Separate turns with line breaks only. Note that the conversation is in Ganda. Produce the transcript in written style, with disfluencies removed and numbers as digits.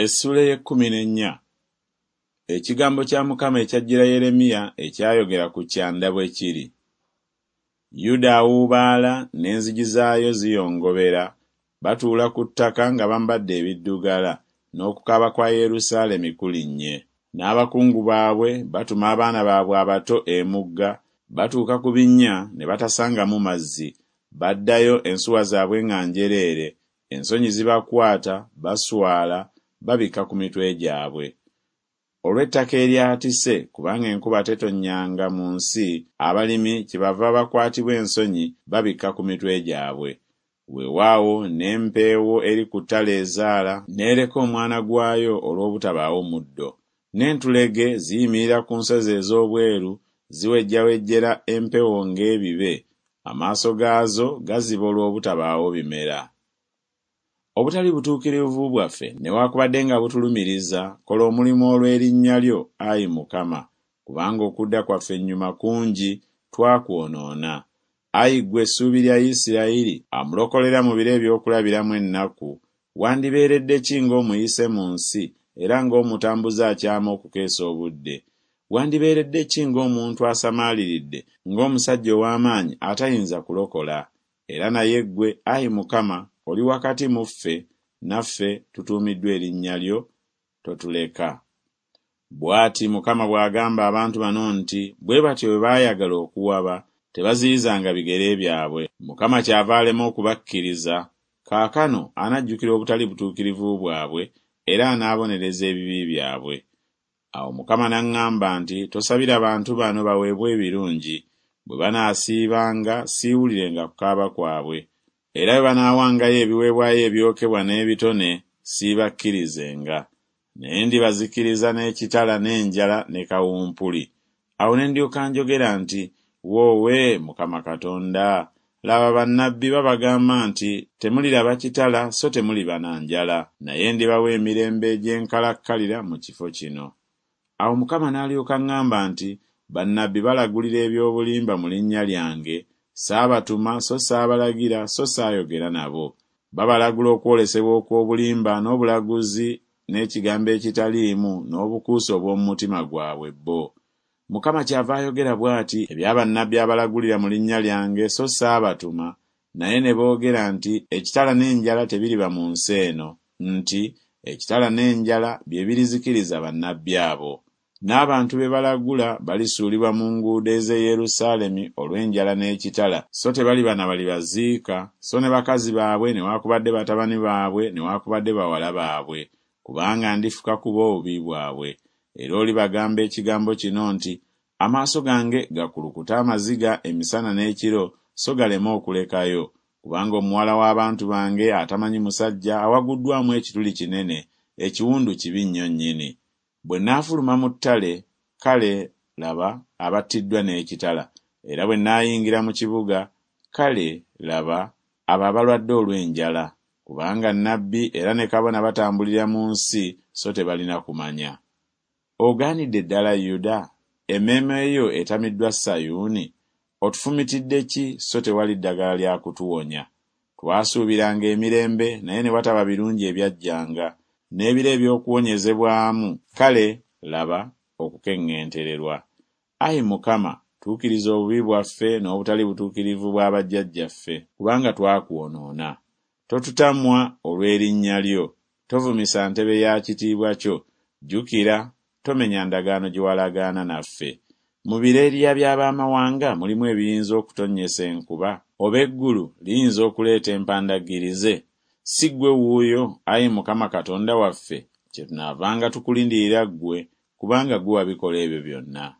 Essuula ey'ekkumi n'ennya. Ekigambo kya Mukama ekyajjira Yeremiya ekyayogera ku kyanda bwe kiri. Yuda awuubaala n'enzigi zaayo ziyongobera, batuula ku ttaka nga bambadde ebiddugala, n'okukaaba kwa Yerusaalemi kulinnye. N'abakungu baabwe batuma abaana baabwe abato emugga, batuuka ku binnya ne batasangamu mazzi, baddayo ensuwa zaabwe nga njereere, ensonyi zibakwata, baswala, babikka ku mitwe gyabwe. Olw'ettaka eryatise, kubanga enkuba tetonnyanga mu nsi, abalimi kyebava bakwatibwa ensonyi, babikka ku mitwe gyabwe. Weewaawo n'empeewo eri ku ttale ezaala, n'ereka omwana gwayo olw'obutabaawo muddo. N'entulege ziyimirira ku nsozi ez'obweru, ziwejjawejjera empewo ng'ebibe, amaaso gaazo gaziba olw'obutabaawo bimera. Obutali butuukirivu bwaffe newakubadde nga butulumiriza, kola omulimu olw'erinnya lyo, ayi Mukama, kubanga okudda kwaffe ennyuma kungi, twakwonoona. Ayi ggwe essuubi lya Isirayiri, amulokolera mu biro eby'okulabiramu ennaku, wandibeeredde ki ng'omuyise mu nsi, era ng'omutambuze akyama okukeesa obudde? Wandibeeredde ki ng'omuntu asamaaliridde, ng'omusajja ow'amaanyi atayinza kulokola? Era naye ggwe, ayi Mukama, oli wakati mu ffe, naffe tutuumiddwa erinnya lyo, totuleka. Bw'ati Mukama bw'agamba abantu bano nti Bwe batyo bwe baayagala okuwaba, tebaziyizanga bigere byabwe, Mukama kyava alema okubakkiriza, kaakano anajjukira obutali butuukirivu bwabwe, era anaabonereza ebibi byabwe. Awo Mukama n'aŋŋamba nti Tosabira bantu bano baweebwe ebirungi, bwe banaasiibanga siiwulirenga kukaaba kwabwe, era bwe banaawangayo ebiweebwayo ebyokebwa n'ebitone siibakkirizenga, naye ndibazikiriza n'ekitala n'enjala ne kawumpuli. Awo ne ndyoka njogera nti Woowe, Mukama Katonda! Laba, bannabbi babagamba nti Temuliraba kitala so temuliba na njala, naye ndibawa emirembe egy'enkalakkalira mu kifo kino. Awo Mukama n'alyoka aŋŋamba nti Bannabbi balagulira eby'obulimba mu linnya lyange, saabatuma so saabalagira so saayogera nabo. Babalagula okwolesebwa okw'obulimba n'obulaguzi n'ekigambo ekitaliimu n'obukuusa obw'omu mutima gwabwe bo. Mukama kyava ayogera bw'ati ebya bannabbi abalagulira mu linnya lyange so saabatuma, naye ne boogera nti Ekitala n'enjala tebiriba mu nsi eno, nti Ekitala n'enjala bye birizikiriza bannabbi abo. N'abantu be balagula balisuulibwa mu nguudo ez'e Yerusaalemi olw'enjala n'ekitala, so tebaliba na balibaziika, so ne bakazi baabwe newakubadde batabani baabwe newakubadde bawala baabwe, kubanga ndifuka ku bo obubi bwabwe. Era olibagamba ekigambo kino nti Amaaso gange gakulukute amaziga emisana n'ekiro so galeme okulekayo, kubanga omuwala w'abantu bange atamanyi musajja awaguddwamu ekituli kinene, ekiwundu kibi nnyo nnyini. Bwe nnaafuluma mu ttale, kale, laba, abattiddwa n'ekitala, era bwe nnaayingira mu kibuga, kale, laba, abo abalwadde olw'enjala! Kubanga nnabbi era ne kabona batambulira mu nsi so tebalina kumanya. Ogaanidde ddala Yuda? Emmeeme yo etamiddwa Sayuuni? Otufumitidde ki so tewali ddagala lya kutuwonya? Twasuubiranga emirembe, naye ne wataba birungi ebyajjanga, n'ebiro eby'okuwonyezebwamu, kale, laba, okukeŋŋentererwa. Ayi Mukama, tuukiriza obubi bwaffe n'obutali butuukirivu bwa bajjajjaffe, kubanga twakwonoona. Totutamwa olw'erinnya lyo, tovumisa ntebe ya kitiibwa kyo, jjukira, tomenya ndagaano gye walagaana naffe. Mu bireria by'ab'amawanga mulimu ebiyinza okutonnyesa enkuba? Oba eggulu liyinza okuleeta empandaggirize? Si ggwe wuuyo, ayi Mukama Katonda waffe, kyetunaavanga tukulindirira ggwe, kubanga ggwe wabikola ebyo byonna.